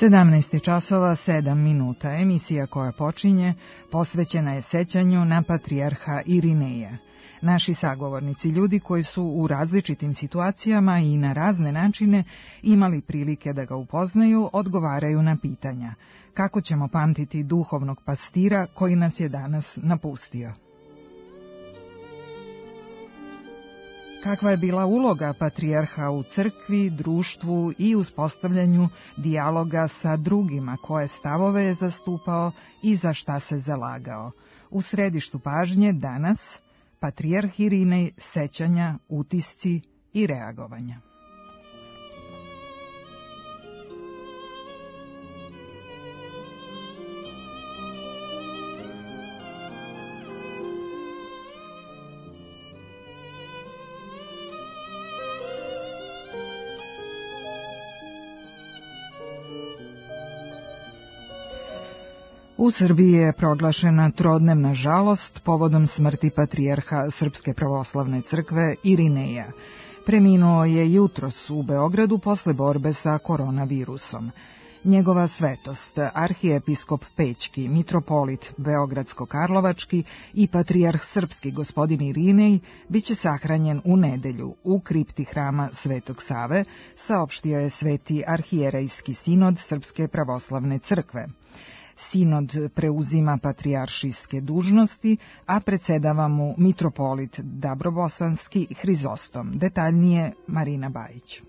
17 časova 7 minuta. Emisija koja počinje posvećena je sećanju na patrijarha Irineja. Naši sagovornici, ljudi koji su u različitim situacijama i na razne načine imali prilike da ga upoznaju, odgovaraju na pitanja. Kako ćemo pamtiti duhovnog pastira koji nas je danas napustio? Kakva je bila uloga patrijarha u crkvi, društvu i uspostavljanju dijaloga sa drugima, koje stavove je zastupao i za šta se zalagao? U središtu pažnje danas patrijarh Irinej, sećanja, utisci i reagovanja. U Srbiji je proglašena trodnevna žalost povodom smrti patrijarha Srpske pravoslavne crkve Irineja. Preminuo je jutros u Beogradu posle borbe sa koronavirusom. Njegova svetost, arhijepiskop Pećki, mitropolit Beogradsko-Karlovački i patrijarh srpski gospodin Irinej biće sahranjen u nedelju u kripti hrama Svetog Save, saopštio je Sveti arhijerejski sinod Srpske pravoslavne crkve. Sinod preuzima patrijaršijske dužnosti, a predsedava mu mitropolit Dabrobosanski Hrizostom. Detaljnije Marina Bajić.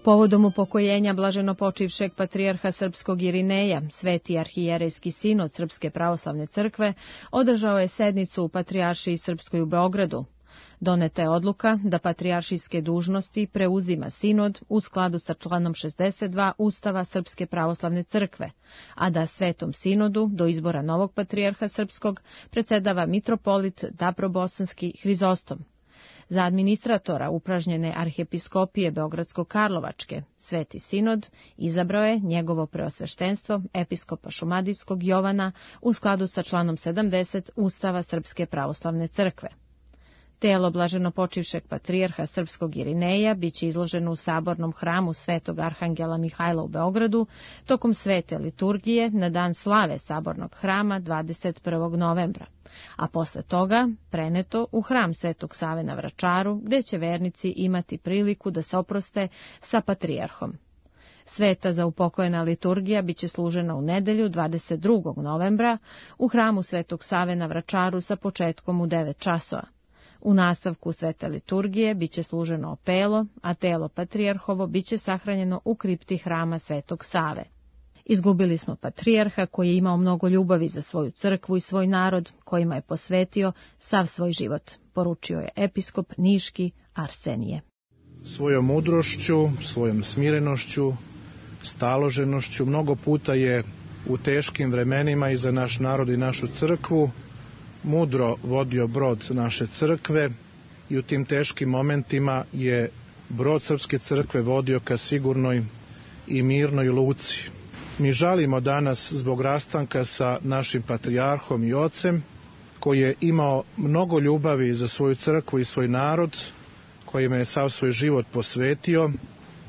Povodom upokojenja blaženopočivšeg patrijarha srpskog Irineja, Sveti arhijerejski sinod Srpske pravoslavne crkve održao je sednicu u Patrijaršiji srpskoj u Beogradu. Doneta je odluka da patrijaršijske dužnosti preuzima sinod u skladu sa članom 62 Ustava Srpske pravoslavne crkve, a da Svetom sinodu do izbora novog patrijarha srpskog predsedava mitropolit Dabrobosanski Hrizostom. Za administratora upražnjene arhijepiskopije Beogradsko-Karlovačke Sveti sinod izabrao je njegovo preosveštenstvo episkopa Šumadijskog Jovana u skladu sa članom 70 Ustava Srpske pravoslavne crkve. Telo blaženopočivšeg patrijarha srpskog Irineja biće izloženo u sabornom hramu Svetog arhangela Mihajla u Beogradu tokom svete liturgije na dan slave sabornog hrama 21. novembra, a posle toga preneto u hram Svetog Save na Vračaru, gde će vernici imati priliku da se oproste sa patrijarhom. Sveta za upokojena liturgija biće služena u nedelju 22. novembra u hramu Svetog Save na Vračaru sa početkom u 9 časova. U nastavku svete liturgije biće služeno opelo, a telo patrijarhovo biće sahranjeno u kripti hrama Svetog Save. Izgubili smo patrijarha koji je imao mnogo ljubavi za svoju crkvu i svoj narod, kojima je posvetio sav svoj život, poručio je episkop Niški Arsenije. Svojom mudrošću, svojom smirenošću, staloženošću mnogo puta je u teškim vremenima i za naš narod i našu crkvu mudro vodio brod naše crkve i u tim teškim momentima je brod Srpske crkve vodio ka sigurnoj i mirnoj luci. Mi žalimo danas zbog rastanka sa našim patrijarhom i ocem, koji je imao mnogo ljubavi za svoju crkvu i svoj narod, kojima je sav svoj život posvetio,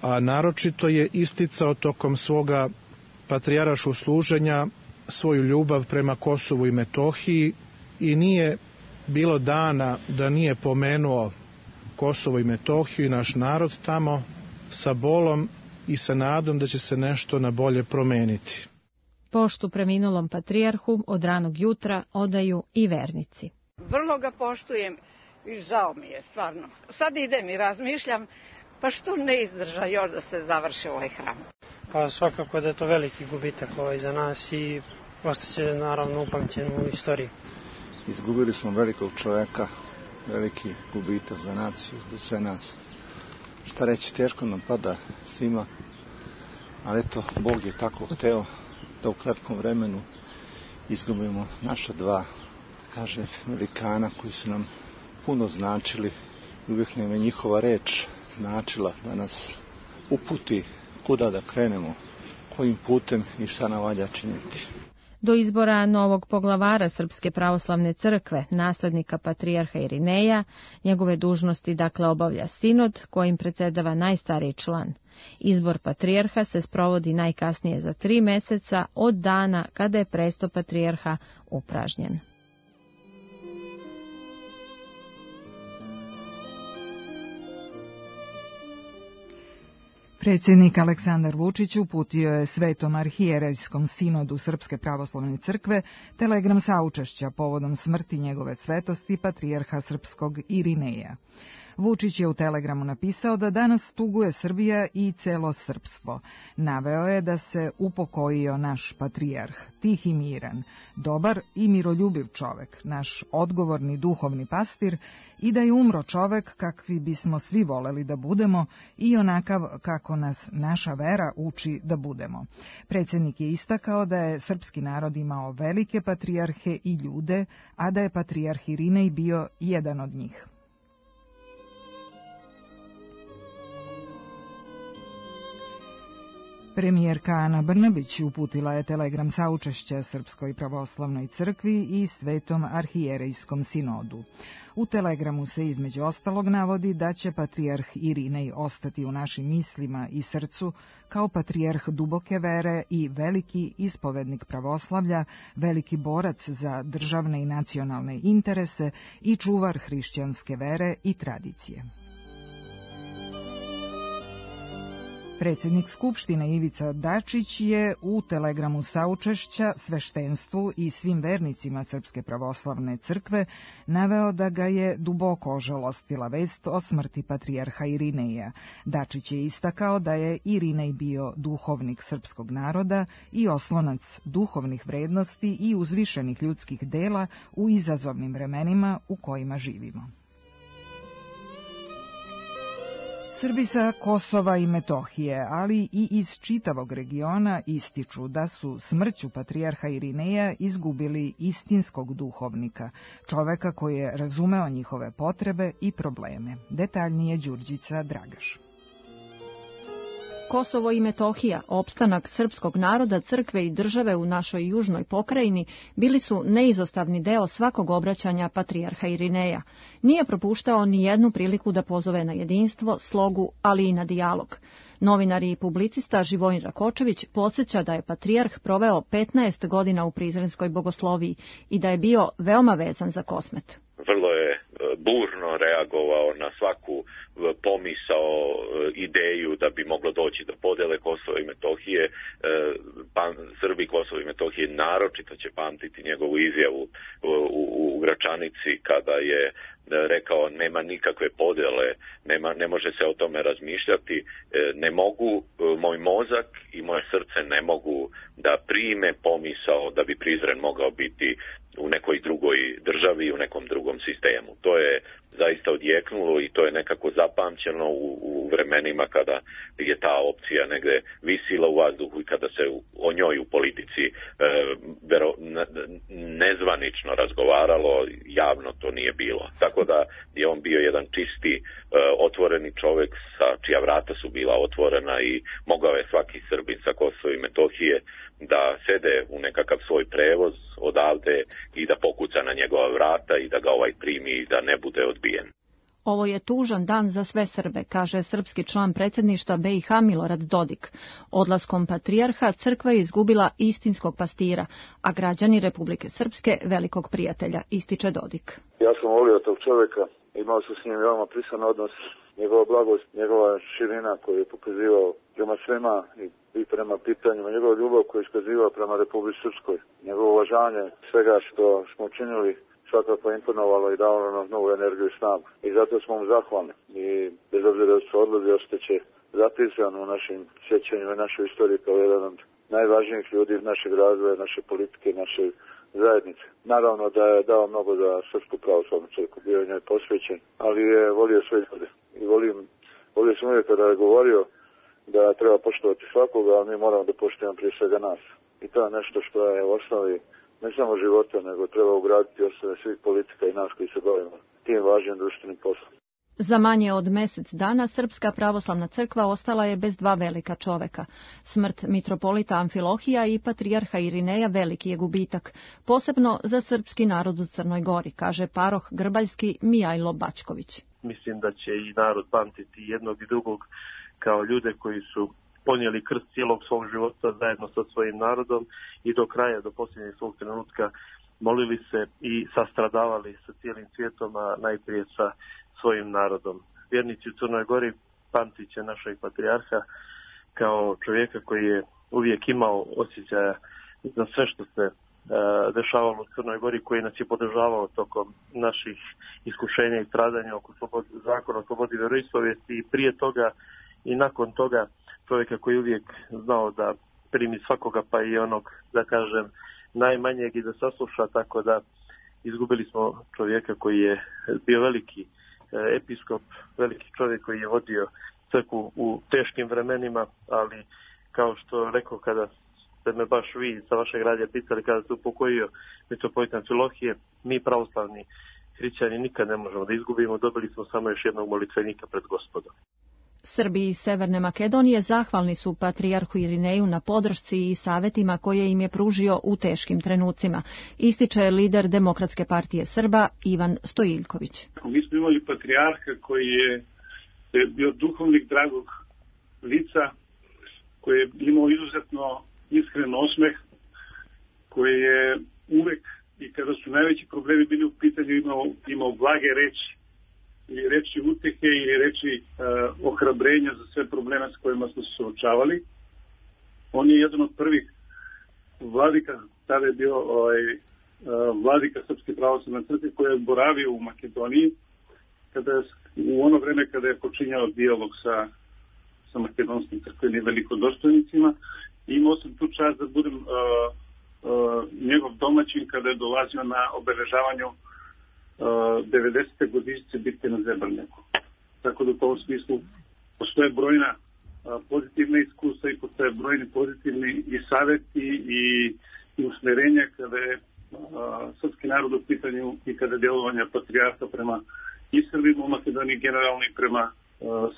a naročito je isticao tokom svoga patrijaraškog služenja svoju ljubav prema Kosovu i Metohiji i nije bilo dana da nije pomenuo Kosovo i Metohiju i naš narod tamo sa bolom i sa nadom da će se nešto na bolje promeniti. Poštu preminulom patrijarhu od ranog jutra odaju i vernici. Vrlo ga poštujem i žao mi je, stvarno. Sad idem i razmišljam, pa što ne izdrža još da se završi ovaj hram? Pa svakako da je to veliki gubitak za nas i ostaće naravno upamćen u istoriji. Izgubili smo velikog čoveka, veliki gubitak za naciju, za sve nas. Šta reći, teško nam pada svima, ali eto, Bog je tako hteo da u kratkom vremenu izgubimo naša dva, kaže, velikana koji su nam puno značili i uvijek nam je njihova reč značila da nas uputi kuda da krenemo, kojim putem i šta nam valja činiti. Do izbora novog poglavara Srpske pravoslavne crkve, naslednika patrijarha Irineja, njegove dužnosti dakle obavlja sinod kojim predsjedava najstariji član. Izbor patrijarha se sprovodi najkasnije za 3 meseca od dana kada je presto patrijarha upražnjen. Predsjednik Aleksandar Vučić uputio je Svetom arhijerejskom sinodu Srpske pravoslavne crkve telegram saučešća povodom smrti njegove svetosti patrijarha srpskog Irineja. Vučić je u telegramu napisao da danas tuguje Srbija i celo srpstvo. Naveo je da se upokojio naš patrijarh, tih i miran, dobar i miroljubiv čovek, naš odgovorni duhovni pastir i da je umro čovek kakvi bismo svi voleli da budemo i onakav kako nas naša vera uči da budemo. Predsjednik je istakao da je srpski narod imao velike patrijarhe i ljude, a da je patrijarh Irinej bio jedan od njih. Premijerka Ana Brnabić uputila je telegram saučešća Srpskoj pravoslavnoj crkvi i Svetom arhijerejskom sinodu. U telegramu se između ostalog navodi da će patrijarh Irinej ostati u našim mislima i srcu kao patrijarh duboke vere i veliki ispovednik pravoslavlja, veliki borac za državne i nacionalne interese i čuvar hrišćanske vere i tradicije. Predsjednik Skupštine Ivica Dačić je u telegramu saučešća sveštenstvu i svim vernicima Srpske pravoslavne crkve naveo da ga je duboko ožalostila vest o smrti patrijarha Irineja. Dačić je istakao da je Irinej bio duhovnik srpskog naroda i oslonac duhovnih vrednosti i uzvišenih ljudskih dela u izazovnim vremenima u kojima živimo. Srbi sa Kosova i Metohije, ali i iz čitavog regiona ističu da su smrću patrijarha Irineja izgubili istinskog duhovnika, čoveka koji je razumeo njihove potrebe i probleme. Detaljnije Đurđica Dragaš. Kosovo i Metohija, opstanak srpskog naroda, crkve i države u našoj južnoj pokrajini, bili su neizostavni deo svakog obraćanja patrijarha Irineja. Nije propuštao ni jednu priliku da pozove na jedinstvo, slogu, ali i na dijalog. Novinar i publicista Živojin Rakočević podsjeća da je patrijarh proveo 15 godina u Prizrenskoj bogosloviji i da je bio veoma vezan za Kosmet. Vrlo je burno reagovao na svaku pomisao, ideju da bi moglo doći do podele Kosova i Metohije. Srbi Kosova i Metohije naročito će pamtiti njegovu izjavu u Gračanici kada je rekao nema nikakve podele, ne može se o tome razmišljati, ne mogu, moj mozak i moje srce ne mogu da prime pomisao da bi Prizren mogao biti u nekoj drugoj državi i u nekom drugom sistemu. To je zaista odjeknulo i to je nekako zapamćeno u vremenima kada je ta opcija negde visila u vazduhu i kada se o njoj u politici nezvanično razgovaralo, javno to nije bilo. Tako da je on bio jedan čisti, otvoreni čovjek čija vrata su bila otvorena i mogao je svaki Srbin sa Kosova i Metohije da sede u nekakav svoj prevoz odavde i da pokuca na njegova vrata i da ga primi i da ne bude odbijen. Ovo je tužan dan za sve Srbe, kaže srpski član predsjedništva BiH Milorad Dodik. Odlaskom patrijarha crkva je izgubila istinskog pastira, a građani Republike Srpske velikog prijatelja, ističe Dodik. Ja sam volio tog čovjeka, imao sam s njim veoma prisan odnos, njegova blagost, njegova širina koju je pokazivao prema svema i prema pitanjima, njegova ljubav koju je iskazivao prema Republici Srpskoj, njegovo uvažanje svega što smo učinili svakako imponovalo i dalo nam novu energiju i snagu. I zato smo mu zahvalni. I bez obzira da su odlazi, ostaće zapisan u našim sjećanjima i našoj istoriji kao jedan od najvažnijih ljudi našeg razvoja, naše politike, naše zajednice. Naravno da je dao mnogo za Srpsku pravoslavnu crkvu, bio je njoj posvećen, ali je volio sve ljude. I volio sam uvijek kada je govorio da treba poštovati svakoga, ali mi moramo da poštujemo prije svega nas. I to je nešto što je u osnovi ne samo života, nego treba ugraditi osnove svih politika i nas koji se bavimo tim važnim društvenim poslom. Za manje od mjesec dana Srpska pravoslavna crkva ostala je bez dva velika čoveka. Smrt mitropolita Amfilohija i patrijarha Irineja veliki je gubitak, posebno za srpski narod u Crnoj Gori, kaže paroh grbaljski Mijajlo Bačković. Mislim da će i narod pamtiti jednog i drugog kao ljude koji su ponijeli krst cijelog svog života zajedno sa svojim narodom i do kraja, do posljednjeg svog trenutka molili se i sastradavali sa cijelim svijetom, a najprije sa svojim narodom. Vjernici u Crnoj Gori pamtit će našeg patrijarha kao čovjeka koji je uvijek imao osjećaja za sve što se dešavalo u Crnoj Gori, koji nas je podržavao tokom naših iskušenja i stradanja oko zakona o slobodi vjeroispovijesti i prije toga i nakon toga, čovjeka koji uvijek znao da primi svakoga, pa i onog, da kažem, najmanjeg i da sasluša, tako da izgubili smo čovjeka koji je bio veliki episkop, veliki čovjek koji je vodio crkvu u teškim vremenima, ali kao što rekao, kada ste me baš vi sa vašeg radija pitali kada se upokojio mitropolit Amfilohije, mi pravoslavni hrišćani nikad ne možemo da izgubimo, dobili smo samo još jednog molitvenika pred Gospodom. Srbi iz Severne Makedonije zahvalni su patrijarhu Irineju na podršci i savjetima koje im je pružio u teškim trenucima, ističe lider Demokratske partije Srba Ivan Stojiljković. Mi smo imali patrijarha koji je bio duhovnik dragog lica, koji je imao izuzetno iskren osmeh, koji je uvek i kada su najveći problemi bili u pitanju imao blage reči, ili reči utehe ili reči ohrabrenja za sve probleme s kojima smo se suočavali. On je jedan od prvih vladika, tada je bio vladika Srpske pravoslavne crkve koji je boravio u Makedoniji u ono vreme kada je počinjao dijalog sa makedonskim crkvenim velikodostojnicima. Imao sam tu čast da budem njegov domaćin kada je dolazio na obeležavanju 90. godišnjice bitke na Zebrnjaku. Tako da u tom smislu postoje brojna pozitivna iskustva i postoje brojni pozitivni i savjeti i usmjerenja kada je srpski narod u pitanju i kada je djelovanja patrijarha prema i Srbima u Makedoniji generalno i prema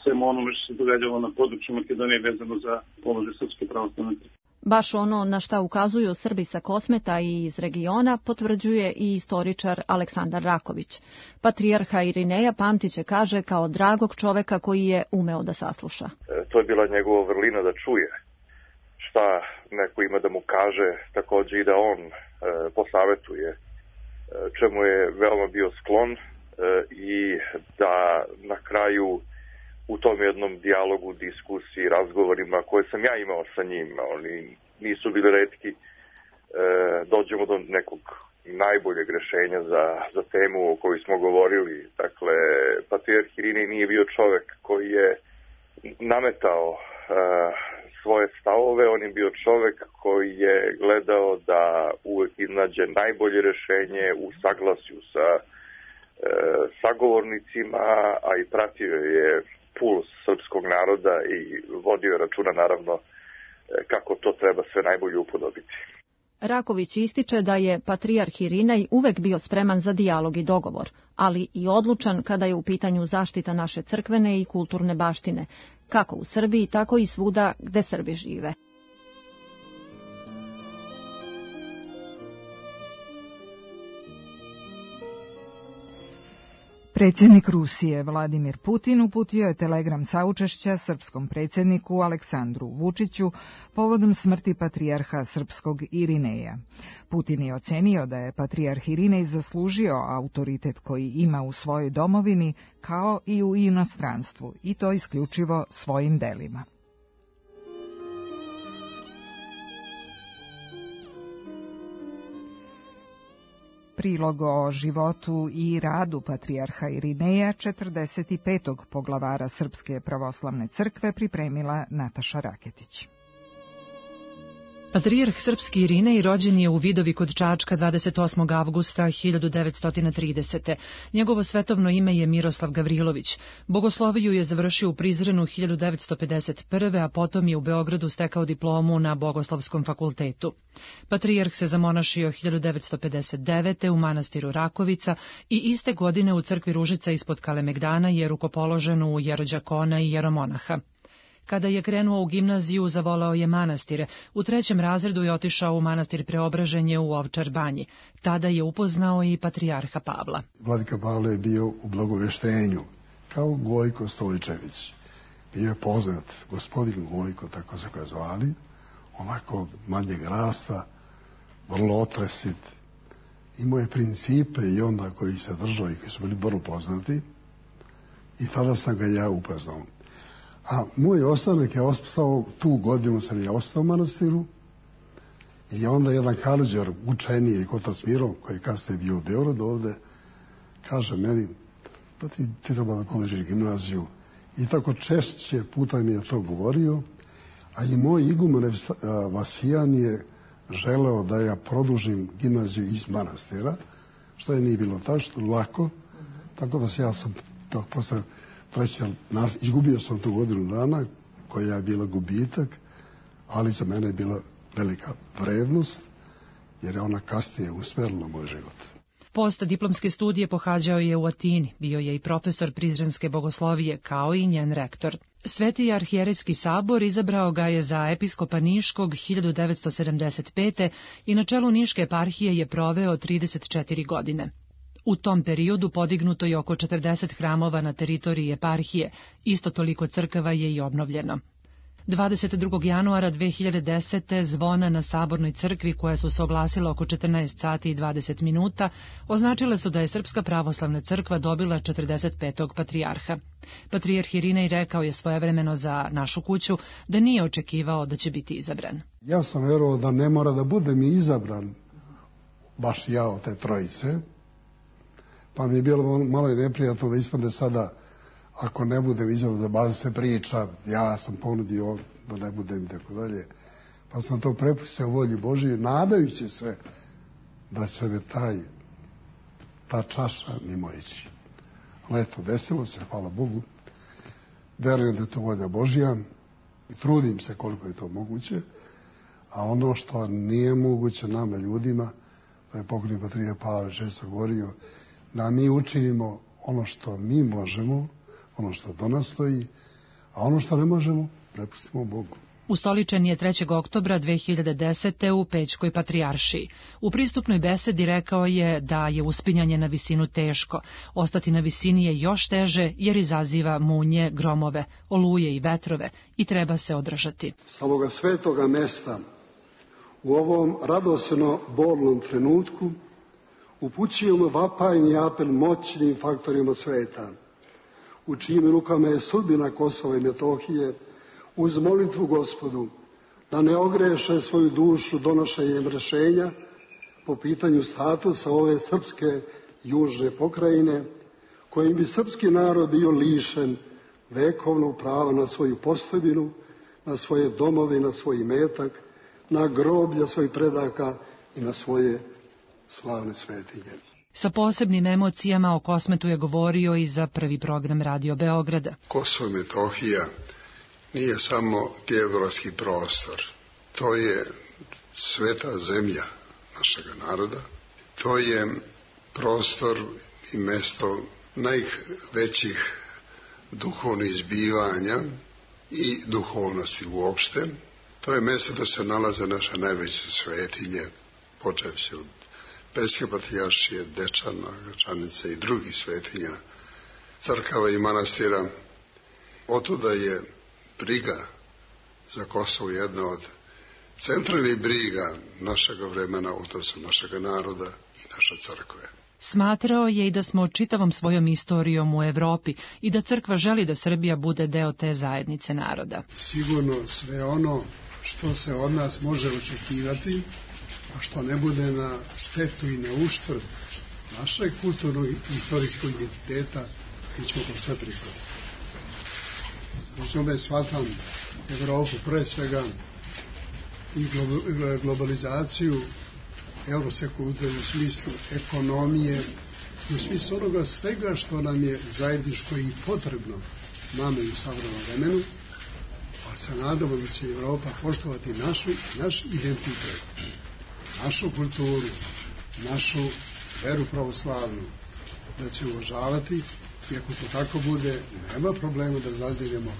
svemu onome što se događalo na području Makedonije vezano za položaj Srpske pravoslavne crkve. Baš ono na šta ukazuju Srbi sa Kosmeta i iz regiona potvrđuje i istoričar Aleksandar Raković. Patrijarha Irineja pamtiće, kaže, kao dragog čoveka koji je umeo da sasluša. To je bila njegova vrlina da čuje šta neko ima da mu kaže, također i da on posavetuje, čemu je veoma bio sklon i da na kraju u tom jednom dijalogu, diskusiji, razgovorima koje sam ja imao sa njim, oni nisu bili retki, dođemo do nekog najboljeg rješenja za temu o kojoj smo govorili. Dakle, patrijarh Irinej nije bio čovjek koji je nametao svoje stavove, on je bio čovjek koji je gledao da uvijek iznađe najbolje rješenje u saglasju sa sagovornicima, a i pratio je puls srpskog naroda i vodio računa naravno kako to treba sve najbolje upodobiti. Raković ističe da je patrijarh Irinej uvek bio spreman za dijalog i dogovor, ali i odlučan kada je u pitanju zaštita naše crkvene i kulturne baštine, kako u Srbiji, tako i svuda gde Srbi žive. Predsjednik Rusije Vladimir Putin uputio je telegram saučešća srpskom predsjedniku Aleksandru Vučiću povodom smrti patrijarha srpskog Irineja. Putin je ocenio da je patrijarh Irinej zaslužio autoritet koji ima u svojoj domovini kao i u inostranstvu, i to isključivo svojim delima. Prilog o životu i radu patrijarha Irineja, 45. poglavara Srpske pravoslavne crkve, pripremila Nataša Raketić. Patrijarh srpski Irinej rođen je u Vidovi kod Čačka 28. avgusta 1930. Njegovo svetovno ime je Miroslav Gavrilović. Bogosloviju je završio u Prizrenu 1951. a potom je u Beogradu stekao diplomu na Bogoslovskom fakultetu. Patrijarh se zamonašio 1959. u manastiru Rakovica i iste godine u crkvi Ružica ispod Kalemegdana je rukopoložen u jerođakona i jeromonaha. Kada je krenuo u gimnaziju, zavolao je manastire. U 3. razredu je otišao u manastir Preobraženje u Ovčar Banji. Tada je upoznao i patrijarha Pavla. Vladika Pavle je bio u blagoveštenju, kao Gojko Stojčević. Bio je poznat gospodin Gojko, tako se ga zvali, onako manjeg rasta, vrlo otresit. Imao je principe i onda koji se držao i koji su bili vrlo poznati. I tada sam ga ja upoznao. A moj ostanak je ostao, tu godinu sam ja ostao u manastiru i onda jedan Karađor, učeniji otac Miro, koji je kasnije bio u Beogradu ovde, kaže meni da ti treba da položiš gimnaziju. I tako češće puta mi je to govorio, a i moj iguman Vasijan je želeo da ja produžim gimnaziju iz manastira, što je nije bilo tačno, lako, tako da se ja sam posle izgubio sam tu godinu dana, koja je bila gubitak, ali za mene je bila velika vrednost, jer je ona kasnije usmerila moj život. Postdiplomske studije pohađao je u Atini, bio je i profesor Prizrenske bogoslovije, kao i njen rektor. Sveti arhijerejski sabor izabrao ga je za episkopa Niškog 1975. i na čelu Niške eparhije je proveo 34 godine. U tom periodu podignuto je oko 40 hramova na teritoriji eparhije, isto toliko crkava je i obnovljeno. 22. januara 2010. zvona na Sabornoj crkvi, koja su se oglasila oko 14 sati i 20 minuta, označile su da je Srpska pravoslavna crkva dobila 45. patrijarha. Patrijarh Irinej rekao je svojevremeno za Našu kuću da nije očekivao da će biti izabran. Ja sam verovao da ne mora da budem izabran, baš ja od te trojice, pa mi je bilo malo i neprijatno da ispadne sada, ako ne budem izabran, da baza se priča, ja sam ponudio da ne budem i tako dalje. Pa sam to prepustio volji Božije, nadajući se da će me ta čaša mimo ići. Ali eto, desilo se, hvala Bogu. Verujem da je to volja Božja i trudim se koliko je to moguće, a ono što nije moguće nama ljudima, da je pokojni patrijarh Pavle često govorio, da mi učinimo ono što mi možemo, ono što do nas stoji, a ono što ne možemo, prepustimo Bogu. Ustoličen je 3. oktobra 2010. u Pećkoj patrijaršiji. U pristupnoj besedi rekao je da je uspinjanje na visinu teško. Ostati na visini je još teže jer izaziva munje, gromove, oluje i vetrove i treba se održati. Sa ovoga svetoga mesta, u ovom radosno bolnom trenutku, upućujemo vapajni apel moćnim faktorima sveta, u čijim rukama je sudbina Kosova i Metohije, uz molitvu Gospodu da ne ogreše svoju dušu donošenjem rešenja po pitanju statusa ove srpske južne pokrajine, kojim bi srpski narod bio lišen vekovnog prava na svoju postojbinu, na svoje domove, na svoj imetak, na groblja svojih predaka i na svoje slavne svetinje. Sa posebnim emocijama o Kosmetu je govorio i za prvi program Radio Beograda. Kosovo i Metohija nije samo geografski prostor. To je sveta zemlja našeg naroda. To je prostor i mesto najvećih duhovnih izbivanja i duhovnosti uopšte. To je mesto da se nalaze naše najveće svetinje, počevši od Pećke patrijaršije, Dečana, Gračanice i drugih svetinja, crkava i manastira. Otuda je briga za Kosovo jedna od centralnih briga našega vremena, odnosno našega naroda i naše crkve. Smatrao je i da smo čitavom svojom istorijom u Evropi i da crkva želi da Srbija bude deo te zajednice naroda. Sigurno sve ono što se od nas može očekivati, a što ne bude na štetu i na uštrb našeg kulturnog i istorijskog identiteta, mi ćemo to sve prihvatiti. Uz ome shvatam Evropu pre svega i globalizaciju eurosekulture u smislu ekonomije, u smislu onoga svega što nam je zajedničko i potrebno nama i u savremenom vremenu, ali se nadamo da će Evropa poštovati naš identitet, našu kulturu, našu veru pravoslavnu, da će uvažavati i ako to tako bude, nema problema da zaziremo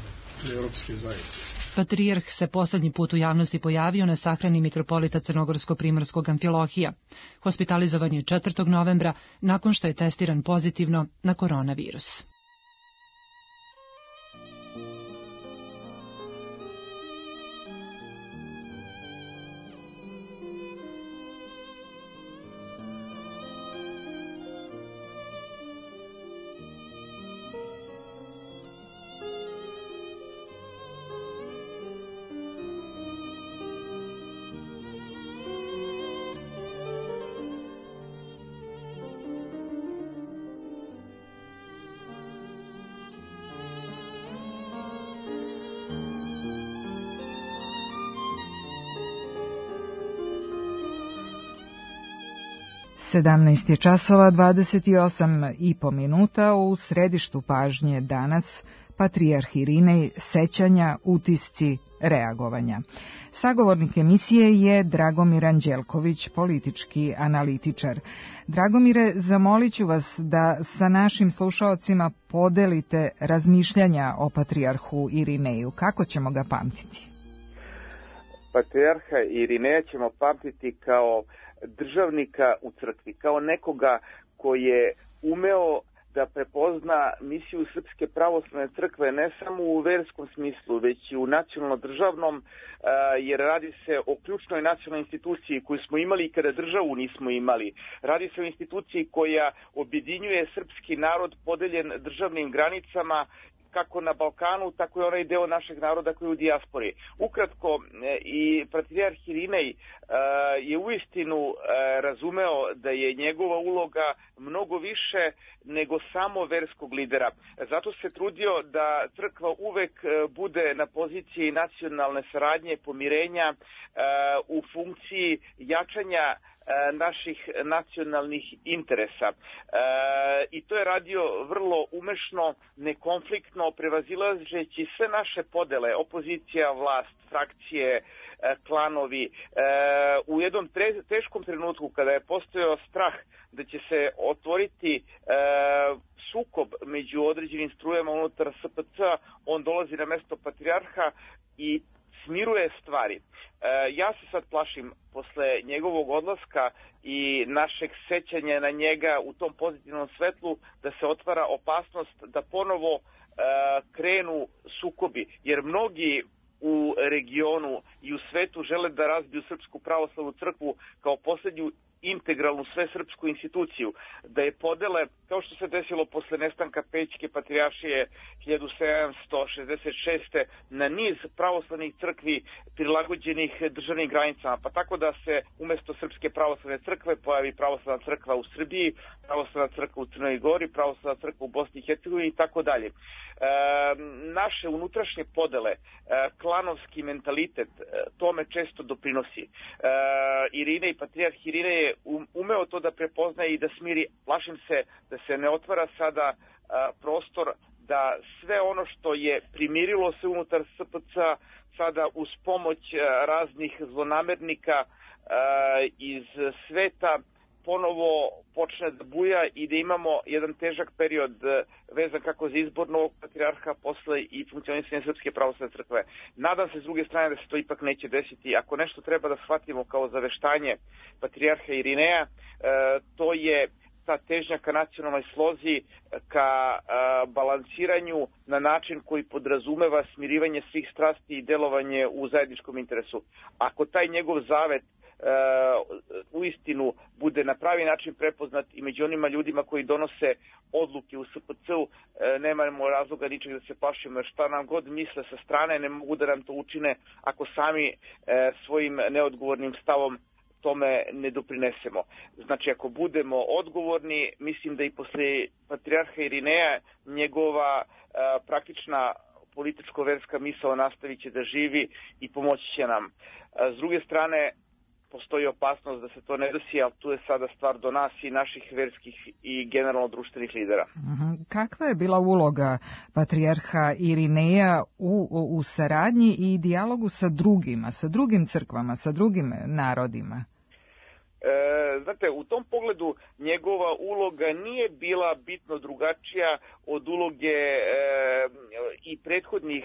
europske zajednice. Patrijarh se poslednji put u javnosti pojavio na sahrani mitropolita Crnogorsko-Primorskog Amfilohija. Hospitalizovan je 4. novembra nakon što je testiran pozitivno na koronavirus. Sedamnaest je časova 28,5 minuta. U središtu pažnje danas Patrijarh Irinej, sećanja, utisci, reagovanja. Sagovornik emisije je Dragomir Anđelković, politički analitičar. Dragomire, zamolit ću vas da sa našim slušaocima podelite razmišljanja o Patrijarhu Irineju. Kako ćemo ga pamtiti? Patrijarha Irineja ćemo pamtiti kao državnika u crkvi, kao nekoga koji je umeo da prepozna misiju Srpske pravoslavne crkve ne samo u verskom smislu, već i u nacionalno-državnom, jer radi se o ključnoj nacionalnoj instituciji koju smo imali i kada državu nismo imali. Radi se o instituciji koja objedinjuje srpski narod podeljen državnim granicama, kako na Balkanu, tako i onaj deo našeg naroda koji je u dijaspori. Ukratko, i Patrijarh Irinej je uistinu razumeo da je njegova uloga mnogo više nego samo verskog lidera. Zato se trudio da crkva uvek bude na poziciji nacionalne saradnje, pomirenja, u funkciji jačanja naših nacionalnih interesa. I to je radio vrlo umešno, nekonfliktno, prevazilazeći sve naše podele, opozicija, vlast, frakcije, klanovi. U jednom teškom trenutku kada je postojao strah da će se otvoriti sukob među određenim strujama unutar SPC-a, on dolazi na mesto patrijarha i smiruje stvari. Ja se sad plašim, posle njegovog odlaska i našeg sećanja na njega u tom pozitivnom svetlu, da se otvara opasnost da ponovo krenu sukobi, jer mnogi u regionu i u svetu žele da razbiju Srpsku pravoslavnu crkvu kao posljednju integralnu svesrpsku instituciju, da je podele, kao što se desilo posle nestanka Pećke patrijaršije 1766. na niz pravoslavnih crkvi prilagođenih državnim granicama, pa tako da se umesto Srpske pravoslavne crkve pojavi pravoslavna crkva u Srbiji, pravoslavna crkva u Crnoj Gori, pravoslavna crkva u Bosni i Hercegovini i tako dalje. Naše unutrašnje podele, klanovski mentalitet, tome često doprinosi. Irinej, Patrijarh Irinej je umeo to da prepoznaje i da smiri. Plašim se da se ne otvara sada prostor da sve ono što je primirilo se unutar SPC-a sada uz pomoć raznih zlonamernika iz sveta ponovo počne da buja i da imamo jedan težak period vezan kako za izbor novog patrijarha posle i funkcionisanje Srpske pravoslavne crkve. Nadam se s druge strane da se to ipak neće desiti. Ako nešto treba da shvatimo kao zaveštanje patrijarha Irineja, to je ta težnja ka nacionalnoj slozi, ka balansiranju na način koji podrazumeva smirivanje svih strasti i delovanje u zajedničkom interesu. Ako taj njegov zavet uistinu bude na pravi način prepoznat i među onima ljudima koji donose odluke u SPC-u, nemamo razloga ničeg da se plašimo, jer šta nam god misle sa strane ne mogu da nam to učine ako sami svojim neodgovornim stavom tome ne doprinesemo. Znači, ako budemo odgovorni, mislim da i posle patrijarha Irineja njegova praktična političko-verska misao nastavit će da živi i pomoći će nam. S druge strane, postoji opasnost da se to ne desi, ali tu je sada stvar do nas i naših verskih i generalno društvenih lidera. Kakva je bila uloga patrijarha Irineja u saradnji i dijalogu sa drugima, sa drugim crkvama, sa drugim narodima? Znate, u tom pogledu njegova uloga nije bila bitno drugačija od uloge i prethodnih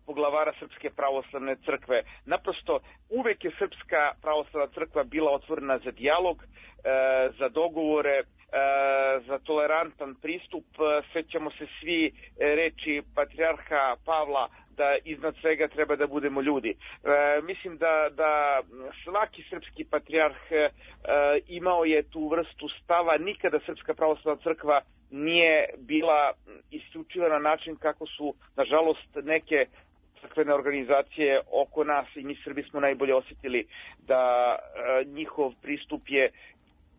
poglavara Srpske pravoslavne crkve. Naprosto, uvek je Srpska pravoslavna crkva bila otvorena za dijalog, za dogovore, za tolerantan pristup. Sećamo se svi reči patrijarha Pavla da iznad svega treba da budemo ljudi. Mislim da svaki srpski patrijarh imao je tu vrstu stava. Nikada Srpska pravoslavna crkva nije bila isključiva na način kako su, nažalost, neke crkvene organizacije oko nas i mi Srbi smo najbolje osjetili da njihov pristup je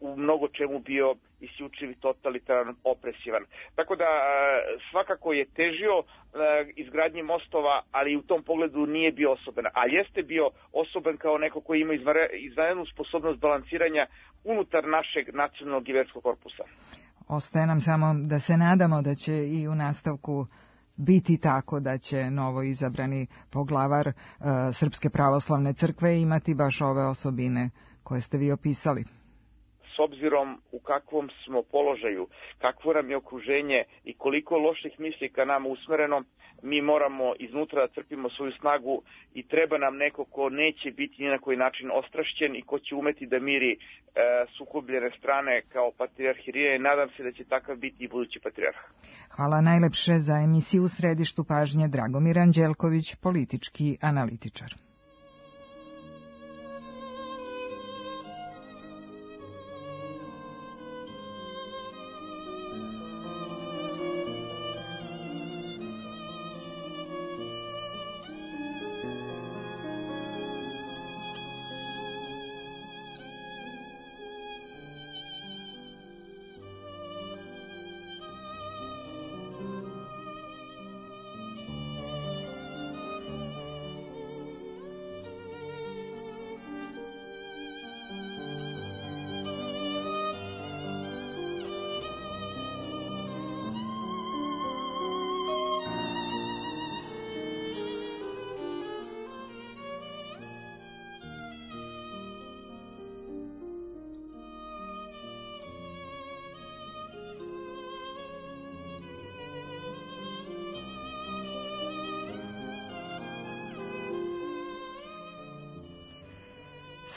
u mnogo čemu bio isključiv i totalitaran, opresivan. Tako da svakako je težio izgradnji mostova, ali u tom pogledu nije bio osoben. A jeste bio osoben kao neko koji ima izvanrednu sposobnost balansiranja unutar našeg nacionalnog i verskog korpusa. Ostaje nam samo da se nadamo da će i u nastavku biti tako da će novo izabrani poglavar Srpske pravoslavne crkve imati baš ove osobine koje ste vi opisali. S obzirom u kakvom smo položaju, kakvo nam je okruženje i koliko loših misli ka nama usmereno, mi moramo iznutra da crpimo svoju snagu i treba nam neko ko neće biti ni na koji način ostrašćen i ko će umeti da miri sukobljene strane kao patrijarh Irinej. Nadam se da će takav biti i budući patrijarh. Hvala najlepše za emisiju U središtu pažnje. Dragomir Anđelković, politički analitičar.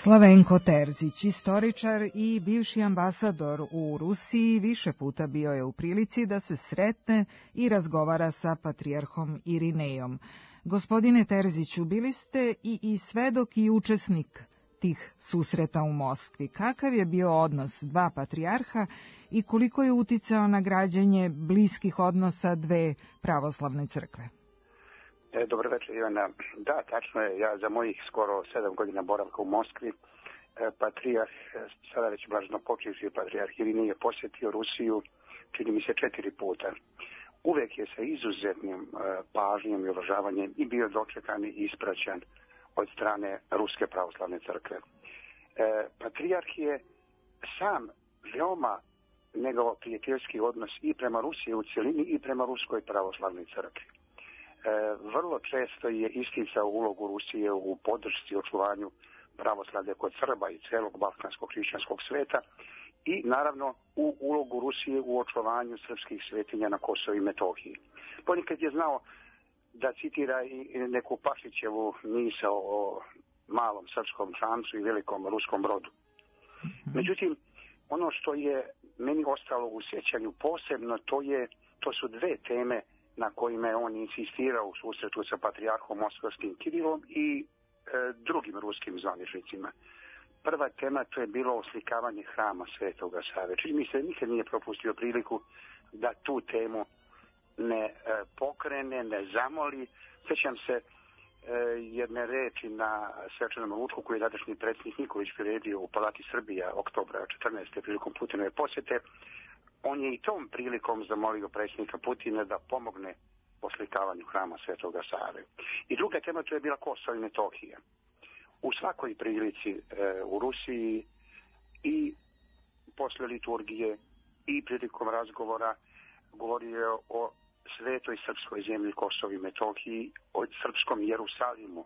Slavenko Terzić, istoričar i bivši ambasador u Rusiji, više puta bio je u prilici da se sretne i razgovara sa patrijarhom Irinejom. Gospodine Terziću, bili ste i svedok i učesnik tih susreta u Moskvi. Kakav je bio odnos dva patrijarha i koliko je uticao na građenje bliskih odnosa dve pravoslavne crkve? Dobro večer, Ivana. Da, tačno je. Ja za mojih skoro 7 godina boravka u Moskvi, patrijarh, sada već blaženo počivši patrijarh Irinej je posjetio Rusiju, čini mi se 4 puta. Uvek je sa izuzetnim pažnjom i uvažavanjem i bio dočekan i ispraćan od strane Ruske pravoslavne crkve. Patrijarh je sam veoma negao prijateljski odnos i prema Rusiji u cjelini i prema Ruskoj pravoslavnoj crkvi. Vrlo često je isticao ulogu Rusije u podršci očuvanju pravoslavlja kod Srba i celog balkanskog hrišćanskog sveta i naravno u ulogu Rusije u očuvanju srpskih svetinja na Kosovu i Metohiji. Ponekad je znao da citira i neku Pašićevu misao o malom srpskom šancu i velikom ruskom brodu. Međutim, ono što je meni ostalo u sjećanju posebno, to su dve teme na kojima je on insistirao u susretu sa patrijarhom Moskovskim Kirilom i drugim ruskim zvaničnicima. Prva tema to je bilo oslikavanje hrama Svetoga Save. Čini mi se nikad nije propustio priliku da tu temu ne pokrene, ne zamoli. Sjećam se jedne reči na svečanom ručku koji je tadašnji predsjednik Nikolić priredio u Palati Srbija oktobra 14. prilikom Putinove posjete. On je i tom prilikom zamolio predsjednika Putina da pomogne oslikavanju hrama Svetoga Save. I druga tema to je bila Kosovo i Metohija. U svakoj prilici u Rusiji i posle liturgije i prilikom razgovora govorio o svetoj srpskoj zemlji Kosovo i Metohiji, o srpskom Jerusalimu.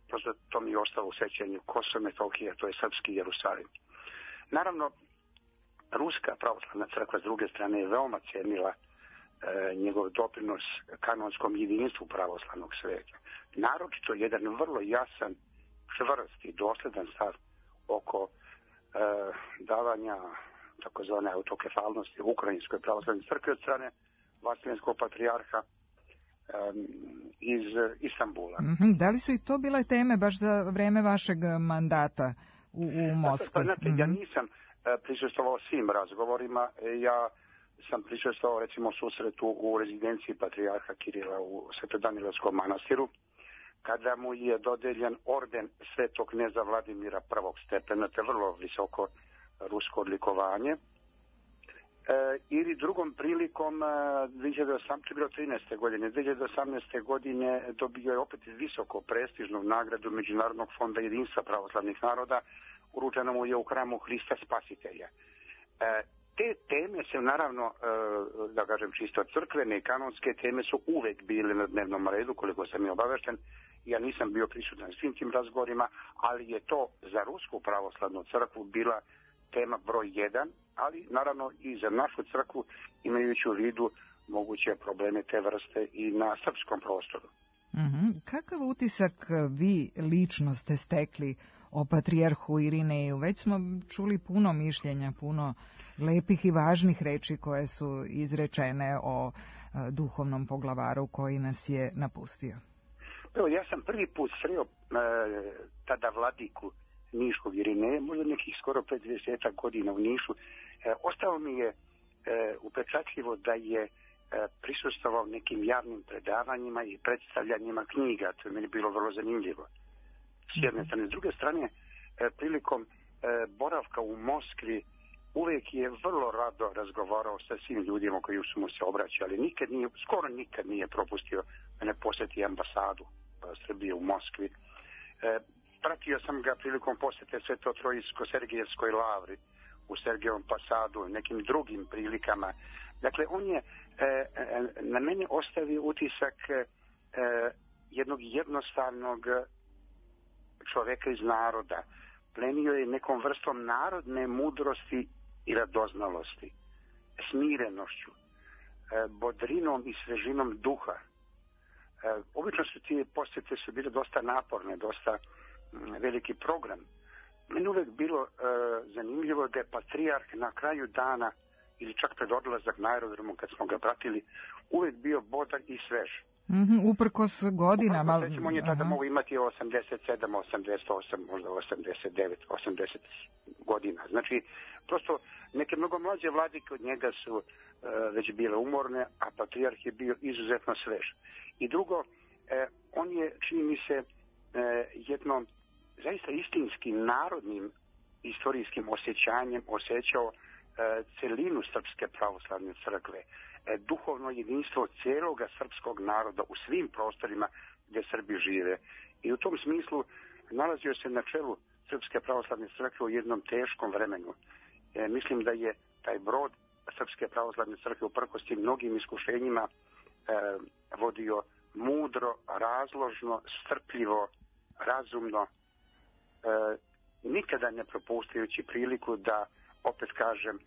Prosto to mi je ostalo u sećanju. Kosovo i Metohija, to je srpski Jerusalim. Naravno, Ruska pravoslavna crkva s druge strane je veoma cenila njegov doprinos kanonskom jedinstvu pravoslavnog sveta. Naročito jedan vrlo jasan, čvrst i dosledan stav oko davanja takozvane autokefalnosti Ukrajinskoj pravoslavnoj crkvi od strane Vaseljenskog patrijarha iz Istanbula. Da li su i to bile teme baš za vreme vašeg mandata u Moskvi? Ja nisam prisustvovao svim razgovorima, ja sam prisustvovao recimo susretu u rezidenciji patrijarha Kirila u Svetodanilovskom manastiru, kada mu je dodeljen orden svetog kneza Vladimira prvog stepena, te vrlo visoko rusko odlikovanje. Ili drugom prilikom 2013. godine. 2018. godine dobio je opet visoko prestižnu nagradu Međunarodnog fonda jedinstva pravoslavnih naroda, uručeno mu je u hramu Hrista Spasitelja. Te teme se naravno, da kažem čisto crkvene i kanonske teme su uvek bile na dnevnom redu, koliko sam je obavešten. Ja nisam bio prisutan svim tim razgovorima, ali je to za Rusku pravoslavnu crkvu bila tema broj 1, ali naravno i za našu crkvu, imajući u vidu moguće probleme te vrste i na srpskom prostoru. Kakav utisak vi lično ste stekli o patrijarhu Irineju? Već smo čuli puno mišljenja, puno lepih i važnih reči koje su izrečene o duhovnom poglavaru koji nas je napustio. Evo, ja sam prvi put sreo tada vladiku Niškog Irineja, možda nekih skoro 50 godina u Nišu. Ostalo mi je upečatljivo da je prisustvovao nekim javnim predavanjima i predstavljanjima knjiga. To je meni bilo vrlo zanimljivo. S jedne strane. S druge strane, prilikom boravka u Moskvi uvek je vrlo rado razgovarao sa svim ljudima koji su mu se obraćali. Skoro nikad nije propustio da ne posjeti ambasadu Srbije u Moskvi. Pratio sam ga prilikom posjete Sveto-Trojsko-Sergijevskoj lavri u Sergejevom Pasadu i nekim drugim prilikama. Dakle, on je na mene ostavio utisak jednog jednostavnog čoveka iz naroda. Plenio je nekom vrstom narodne mudrosti i radoznalosti, smirenošću, bodrinom i svežinom duha. Obično su ti posjete su bile dosta naporne, dosta veliki program. Meni uvek bilo zanimljivo da je patrijarh na kraju dana ili čak pred odlazak na aerodromu kad smo ga pratili, uvek bio bodak i svež. Uprkos godinama. Recimo, on je tada mogu imati 87, 88, možda 89, 80 godina. Znači, prosto neke mnogo mlađe vladike od njega su već bile umorne, a patrijarh je bio izuzetno svež. I drugo, on je, čini mi se, jednom zaista istinskim narodnim istorijskim osjećanjem osjećao celinu Srpske pravoslavne crkve, duhovno jedinstvo cijeloga srpskog naroda u svim prostorima gdje Srbi žive. I u tom smislu nalazio se na čelu Srpske pravoslavne crkve u jednom teškom vremenu. Mislim da je taj brod Srpske pravoslavne crkve uprkos tim mnogim iskušenjima vodio mudro, razložno, strpljivo, razumno, nikada ne propuštajući priliku da, opet kažem,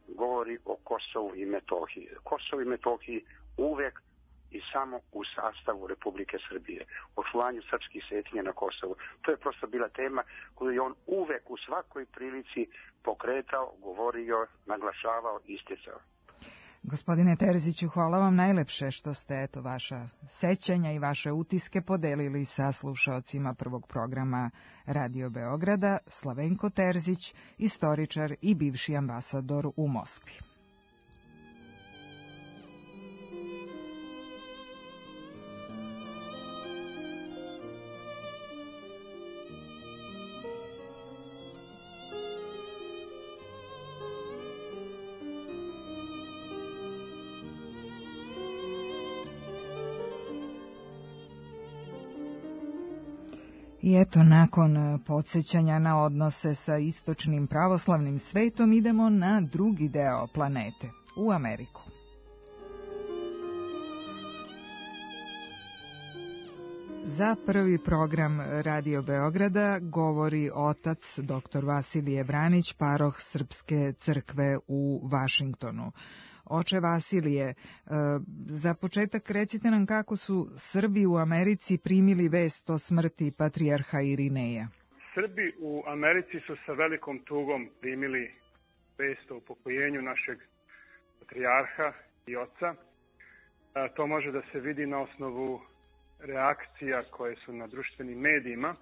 govori o Kosovu i Metohiji. Kosovo i Metohiji uvek i samo u sastavu Republike Srbije. Očuvanju srpskih svetinja na Kosovu. To je prosto bila tema koju je on uvek u svakoj prilici pokretao, govorio, naglašavao, isticao. Gospodine Terziću, hvala vam najlepše što ste vaša sećanja i vaše utiske podelili sa slušaocima prvog programa Radio Beograda. Slavenko Terzić, istoričar i bivši ambasador u Moskvi. I eto, nakon podsjećanja na odnose sa istočnim pravoslavnim svetom, idemo na drugi deo planete, u Ameriku. Za prvi program Radio Beograda govori otac dr. Vasilije Branić, paroh Srpske crkve u Vašingtonu. Oče Vasilije, za početak recite nam kako su Srbi u Americi primili vest o smrti patrijarha Irineja. Srbi u Americi su sa velikom tugom primili vest o upokojenju našeg patrijarha i oca. To može da se vidi na osnovu reakcija koje su na društvenim medijima.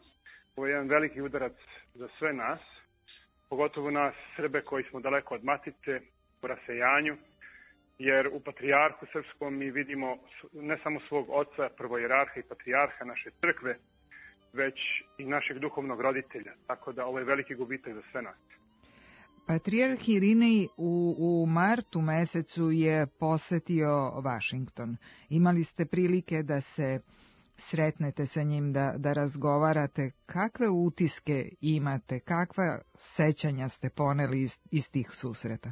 Ovo je jedan veliki udarac za sve nas, pogotovo nas Srbe koji smo daleko od matice, u rasejanju, jer u patrijarhu srpskom mi vidimo ne samo svog oca, prvojerarha i patrijarha naše crkve, već i našeg duhovnog roditelja. Tako da ovo je veliki gubitak za sve nas. Patrijarh Irinej u martu mesecu je posetio Vašington. Imali ste prilike da se sretnete sa njim, da razgovarate. Kakve utiske imate, kakva sećanja ste poneli iz tih susreta?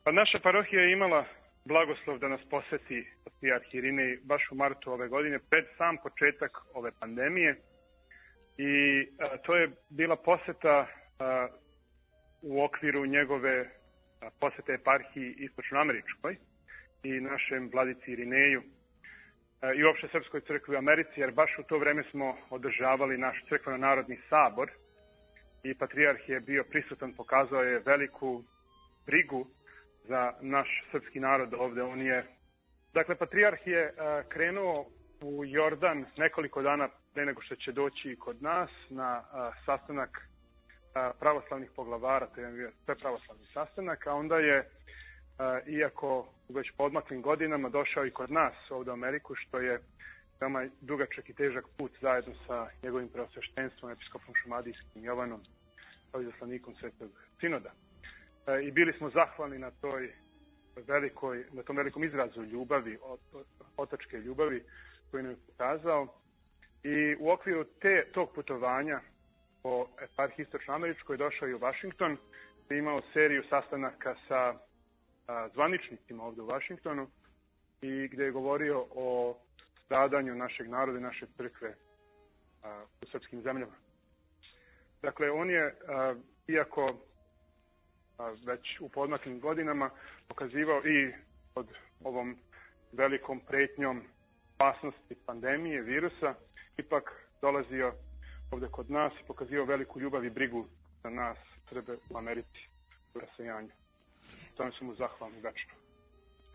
Pa naša parohija je imala blagoslov da nas poseti patrijarh Irinej baš u martu ove godine, pred sam početak ove pandemije. I to je bila poseta u okviru njegove posete eparhiji istočnoameričkoj i našem vladici Irineju i uopšte Srpskoj crkvi u Americi, jer baš u to vreme smo održavali naš crkveno-narodni sabor i patrijarh je bio prisutan, pokazao je veliku brigu za naš srpski narod ovde. Dakle, patrijarh je krenuo u Jordan nekoliko dana pre nego što će doći kod nas na sastanak pravoslavnih poglavara, to je bio pravoslavni sastanak, a onda je, iako već po odmaklim godinama, došao i kod nas ovde u Ameriku, što je veoma dugačak i težak put zajedno sa njegovim preosveštenstvom, episkopom šumadijskim Jovanom, kao izaslanikom Svetog Sinoda. I bili smo zahvalni na tom velikom izrazu ljubavi, otačke ljubavi koju nam je pokazao. I u okviru tog putovanja po eparhiji istočnoameričkoj došao i u Vašington, gde je imao seriju sastanaka sa zvaničnicima ovde u Vašingtonu i gde je govorio o stradanju našeg naroda i naše crkve u srpskim zemljama. Dakle, on je, iako već u podmaklim godinama, pokazivao i pod ovom velikom pretnjom opasnosti pandemije, virusa, ipak dolazio ovde kod nas i pokazivao veliku ljubav i brigu za nas, Srbe u Americi, u rasejanju. Tome su mu zahvalni večno.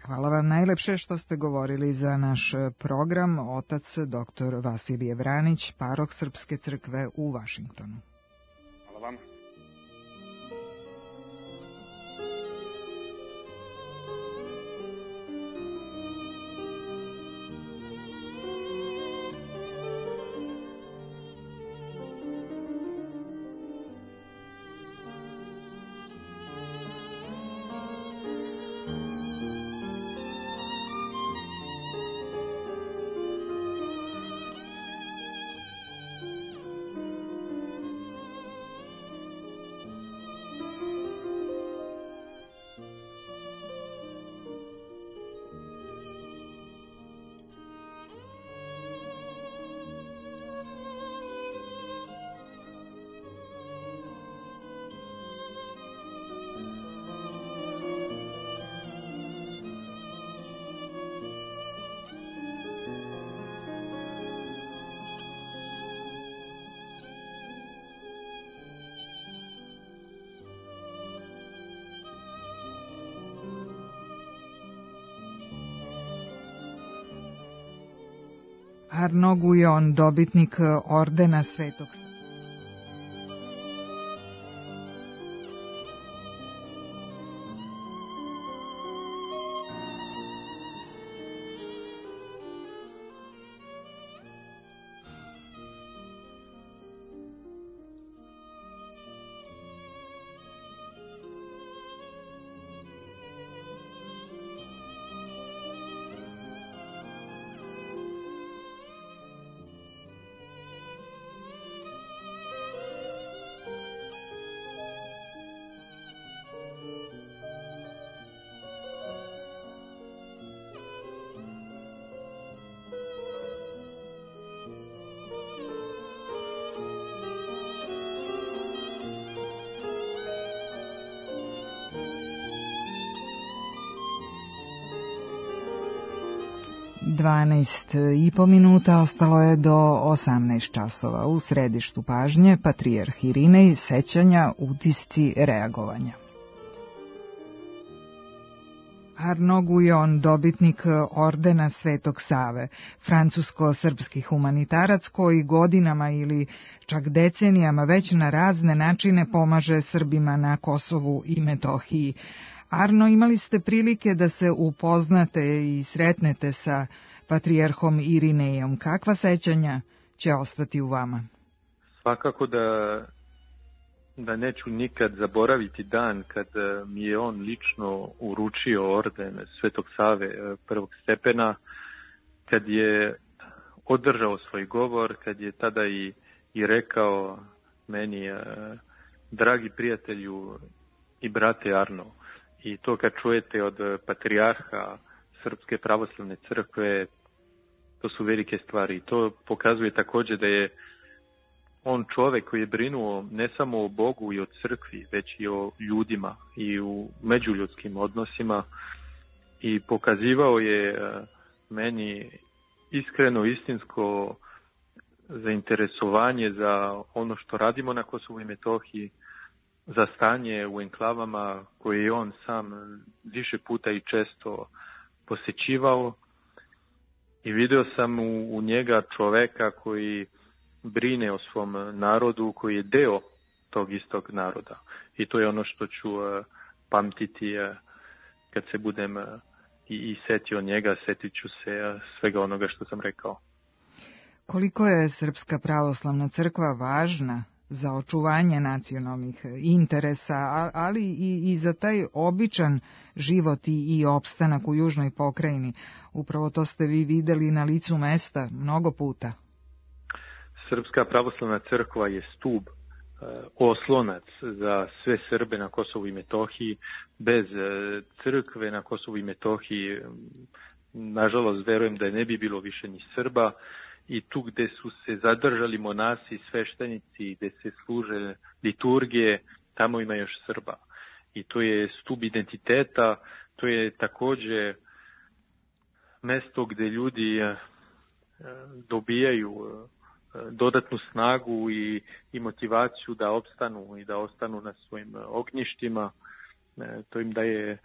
Hvala vam najlepše što ste govorili za naš program. Otac dr. Vasilije Vranić, paroh Srpske crkve u Vašingtonu. Hvala vam. Arno Gujon, dobitnik ordena Svetog 12,5 minuta ostalo je do 18 časova. U središtu pažnje patrijarh Irinej, sećanja, utisci, reagovanja. Arno Gujon, dobitnik ordena Svetog Save, francusko-srpski humanitarac koji godinama ili čak decenijama već na razne načine pomaže Srbima na Kosovu i Metohiji. Arno, imali ste prilike da se upoznate i sretnete sa patrijarhom Irinejom. Kakva sećanja će ostati u vama? Svakako da neću nikad zaboraviti dan kad mi je on lično uručio orden Svetog Save prvog stepena, kad je održao svoj govor, kad je tada i rekao meni, dragi prijatelju i brate Arno. I to kad čujete od patrijarha Srpske pravoslavne crkve, to su velike stvari. I to pokazuje također da je on čovjek koji je brinuo ne samo o Bogu i o crkvi, već i o ljudima i u međuljudskim odnosima. I pokazivao je meni iskreno, istinsko zainteresovanje za ono što radimo na Kosovu i Metohiji, za stanje u enklavama koje je on sam više puta i često posjećivao. I vidio sam u njega čoveka koji brine o svom narodu, koji je deo tog istog naroda. I to je ono što ću pamtiti kad se budem i setio njega, setit ću se svega onoga što sam rekao. Koliko je Srpska pravoslavna crkva važna za očuvanje nacionalnih interesa, ali i za taj običan život i opstanak u južnoj pokrajini? Upravo to ste vi videli na licu mesta mnogo puta. Srpska pravoslavna crkva je stub, oslonac za sve Srbe na Kosovu i Metohiji. Bez crkve na Kosovu i Metohiji, nažalost, verujem da ne bi bilo više ni Srba. I tu gde su se zadržali monasi, sveštenici, gde se služe liturgije, tamo ima još Srba. I to je stub identiteta, to je također mesto gde ljudi dobijaju dodatnu snagu i motivaciju da opstanu i da ostanu na svojim ognjištima. To im daje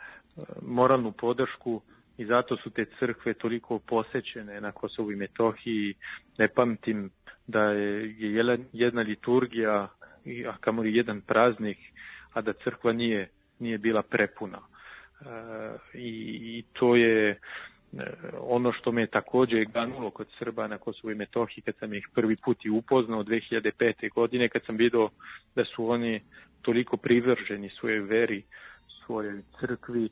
moralnu podršku. I zato su te crkve toliko posećene na Kosovu i Metohiji. Ne pamtim da je jedna liturgija, a kamoli jedan praznik, a da crkva nije bila prepuna. I to je ono što me također ganulo kod Srba na Kosovu i Metohiji kad sam ih prvi put i upoznao 2005. godine, kad sam vidio da su oni toliko privrženi svojoj veri, svojoj crkvi,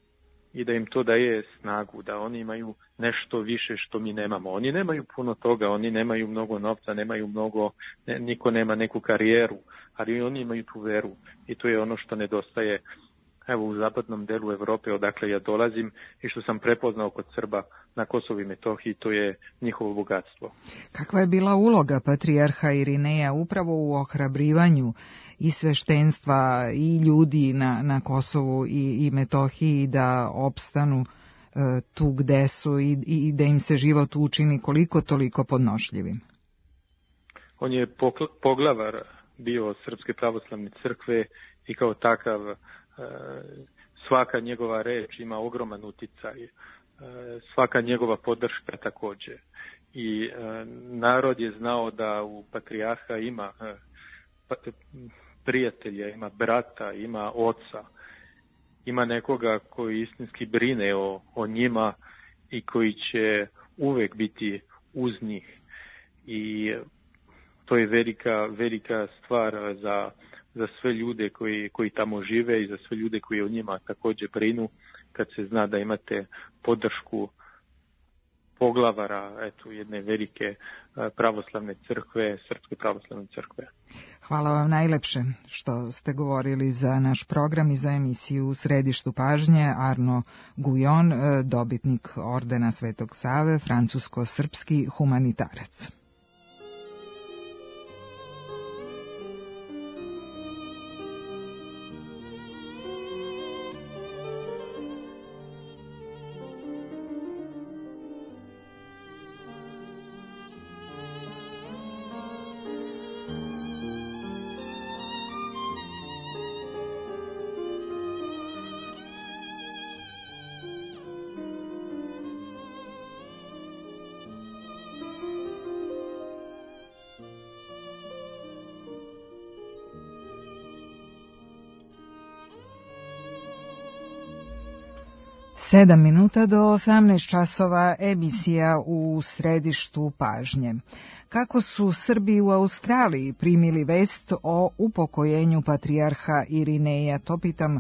i da im to daje snagu, da oni imaju nešto više što mi nemamo. Oni nemaju puno toga, oni nemaju mnogo novca, nemaju mnogo, niko nema neku karijeru, ali oni imaju tu veru i to je ono što nedostaje evo u zapadnom delu Evrope odakle ja dolazim i što sam prepoznao kod Srba na Kosovu i Metohiji, to je njihovo bogatstvo. Kakva je bila uloga patrijarha Irineja upravo u ohrabrivanju i sveštenstva i ljudi na Kosovu i Metohiji da opstanu tu gde su i da im se život učini koliko toliko podnošljivim? On je poglavar bio Srpske pravoslavne crkve i kao takav svaka njegova reč ima ogroman uticaj, svaka njegova podrška također. I narod je znao da u patrijarha ima prijatelja, ima brata, ima oca, ima nekoga koji istinski brine o njima i koji će uvek biti uz njih. I to je velika stvar za sve ljude koji tamo žive i za sve ljude koji o njima također brinu, kad se zna da imate podršku poglavara jedne velike pravoslavne crkve, Srpske pravoslavne crkve. Hvala vam najlepše što ste govorili za naš program i za emisiju U središtu pažnje. Arno Gujon, dobitnik ordena Svetog Save, francusko-srpski humanitarac. 7 minuta do 18 časova, emisija u središtu pažnje. Kako su Srbi u Australiji primili vest o upokojenju patrijarha Irineja? To pitam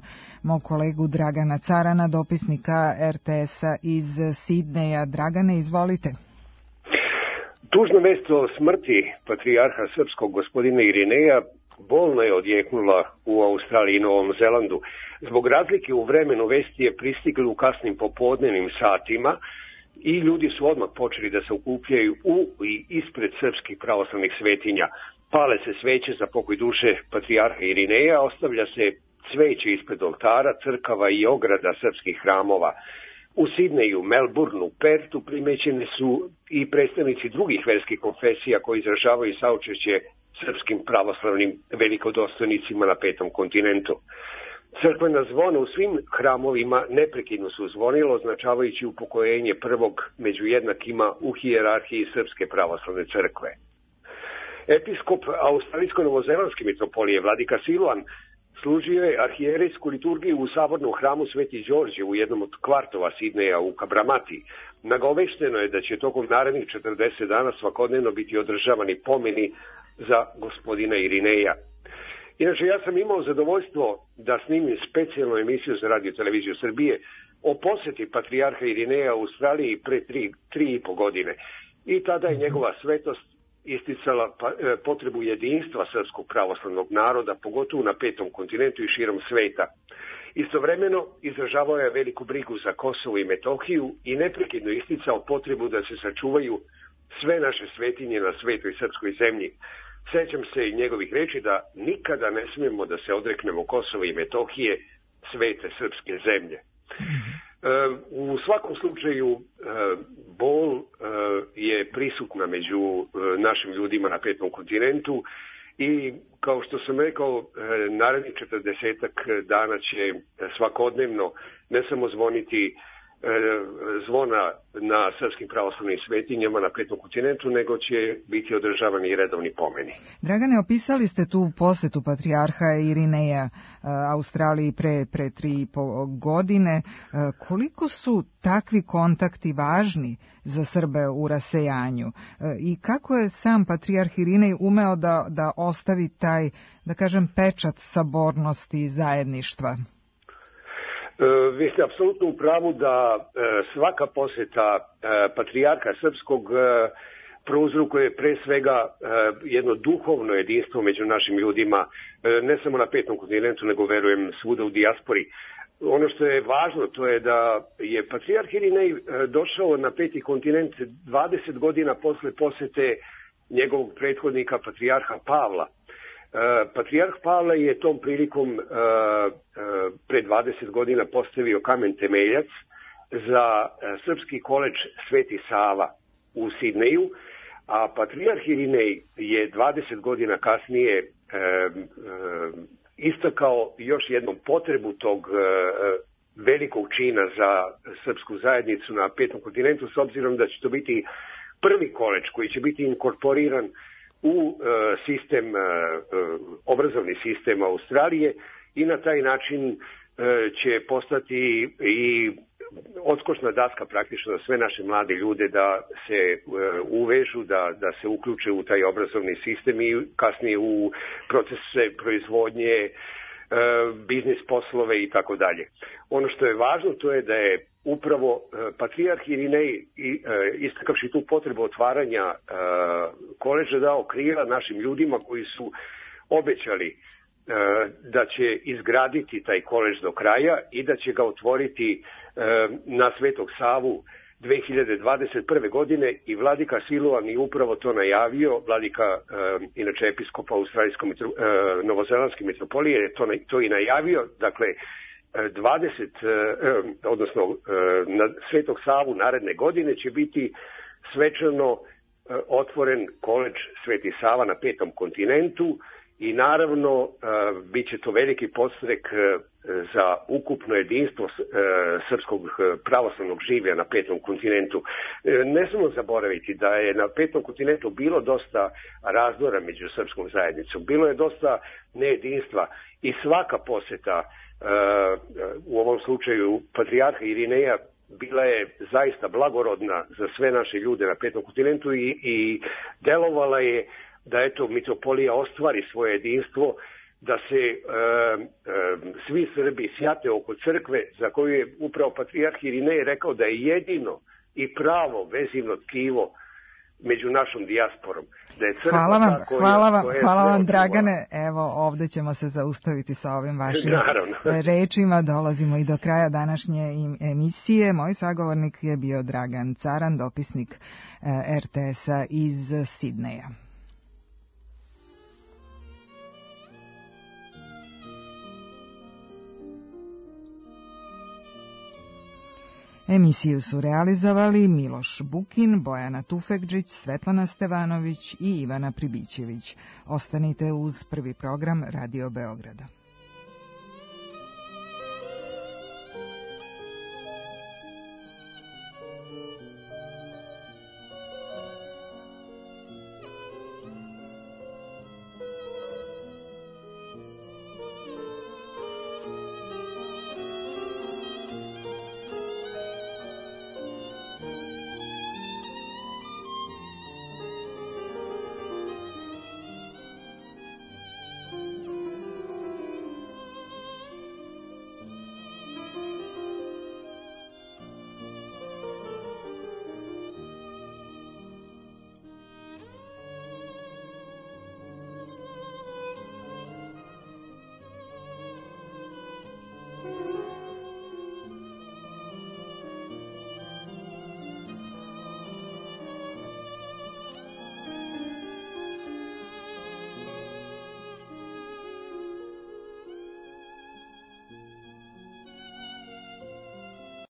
mog kolegu Dragana Carana, dopisnika RTS-a iz Sidneja. Dragane, izvolite. Tužna vest o smrti patrijarha srpskog gospodina Irineja bolno je odjeknula u Australiji i Novom Zelandu. Zbog razlike u vremenu vesti je pristigli u kasnim popodnevnim satima i ljudi su odmah počeli da se okupljaju u i ispred srpskih pravoslavnih svetinja. Pale se sveće za pokoj duše patrijarha Irineja, ostavlja se cveće ispred oltara, crkava i ograda srpskih hramova. U Sidneju, Melbourneu, Pertu primećene su i predstavnici drugih verskih konfesija koji izražavaju saučešće srpskim pravoslavnim velikodostojnicima na Petom kontinentu. Crkvena zvona u svim hramovima neprekidno su zvonilo, označavajući upokojenje prvog među jednakima u hijerarhiji Srpske pravoslavne crkve. Episkop australijsko-novozelandske mitropolije Vladika Siluan služio je arhijerejsku liturgiju u sabornom hramu Sveti Đorđe u jednom od kvartova Sidneja u Kabramati. Nagovešteno je da će tokom narednih 40 dana svakodnevno biti održavani pomeni za gospodina Irineja. Inače, ja sam imao zadovoljstvo da snimim specijalnu emisiju za Radio Televiziju Srbije o poseti patrijarha Irineja u Australiji pre 3,5 godine. I tada je njegova svetost isticala potrebu jedinstva srpskog pravoslavnog naroda, pogotovo na Petom kontinentu i širom sveta. Istovremeno izražavao je veliku brigu za Kosovo i Metohiju i neprekidno isticao potrebu da se sačuvaju sve naše svetinje na svetoj srpskoj zemlji. Sećam se i njegovih reči da nikada ne smijemo da se odreknemo Kosova i Metohije, svete srpske zemlje. U svakom slučaju bol je prisutna među našim ljudima na Petom kontinentu i kao što sam rekao, narednih 40 dana će svakodnevno ne samo zvoniti zvona na srpskim pravoslavnim svetinjama na Petom kontinentu, nego će biti održavani i redovni pomeni. Dragane, opisali ste tu posetu patrijarha Irineja Australiji pre 3,5 godine. Koliko su takvi kontakti važni za Srbe u rasejanju? I kako je sam patrijarh Irinej umeo da ostavi taj, da kažem, pečat sabornosti i zajedništva? Vi ste apsolutno u pravu da svaka poseta patrijarha srpskog prouzrokuje pre svega jedno duhovno jedinstvo među našim ljudima, ne samo na Petom kontinentu, nego verujem svuda u dijaspori. Ono što je važno to je da je patrijarh Irinej došao na Peti kontinent 20 godina posle posete njegovog prethodnika patrijarha Pavla. Patrijarh Pavle je tom prilikom pre 20 godina postavio kamen temeljac za srpski koledž Sveti Sava u Sidneju, a patrijarh Irinej je 20 godina kasnije istakao još jednom potrebu tog velikog čina za srpsku zajednicu na Petom kontinentu, s obzirom da će to biti prvi koledž koji će biti inkorporiran u sistem, obrazovni sistem Australije i na taj način će postati i odskočna daska praktično za sve naše mlade ljude da se uvežu, da se uključe u taj obrazovni sistem i kasnije u procese proizvodnje, biznis poslove i tako dalje. Ono što je važno to je da je upravo patrijarh Irinej istakavši tu potrebu otvaranja koledža dao krila našim ljudima koji su obećali da će izgraditi taj koledž do kraja i da će ga otvoriti na Svetog Savu 2021. godine i Vladika Siluan je upravo to najavio. Vladika, inače episkopa novozelandske mitropolije, je to i najavio. Dakle, 20, odnosno na Svetog Savu naredne godine će biti svečano otvoren koledž Sveti Sava na Petom kontinentu i naravno bit će to veliki podstrek za ukupno jedinstvo srpskog pravoslavnog življa na petom kontinentu. Ne smemo zaboraviti da je na petom kontinentu bilo dosta razdora među srpskom zajednicom, bilo je dosta nejedinstva i svaka poseta, u ovom slučaju patrijarha Irineja, bila je zaista blagorodna za sve naše ljude na petom kontinentu i delovala je da eto mitropolija ostvari svoje jedinstvo, da se svi Srbi sjate oko crkve za koju je upravo patrijarh Irinej rekao da je jedino i pravo vezivno tkivo među našom dijasporom. Da je crkva hvala vam Dragane. Evo, ovde ćemo se zaustaviti sa ovim vašim rečima. Dolazimo i do kraja današnje emisije. Moj sagovornik je bio Dragan Caran, dopisnik RTS-a iz Sidneja. Emisiju su realizovali Miloš Bukin, Bojana Tufekđić, Svetlana Stevanović i Ivana Pribićević. Ostanite uz prvi program Radio Beograda.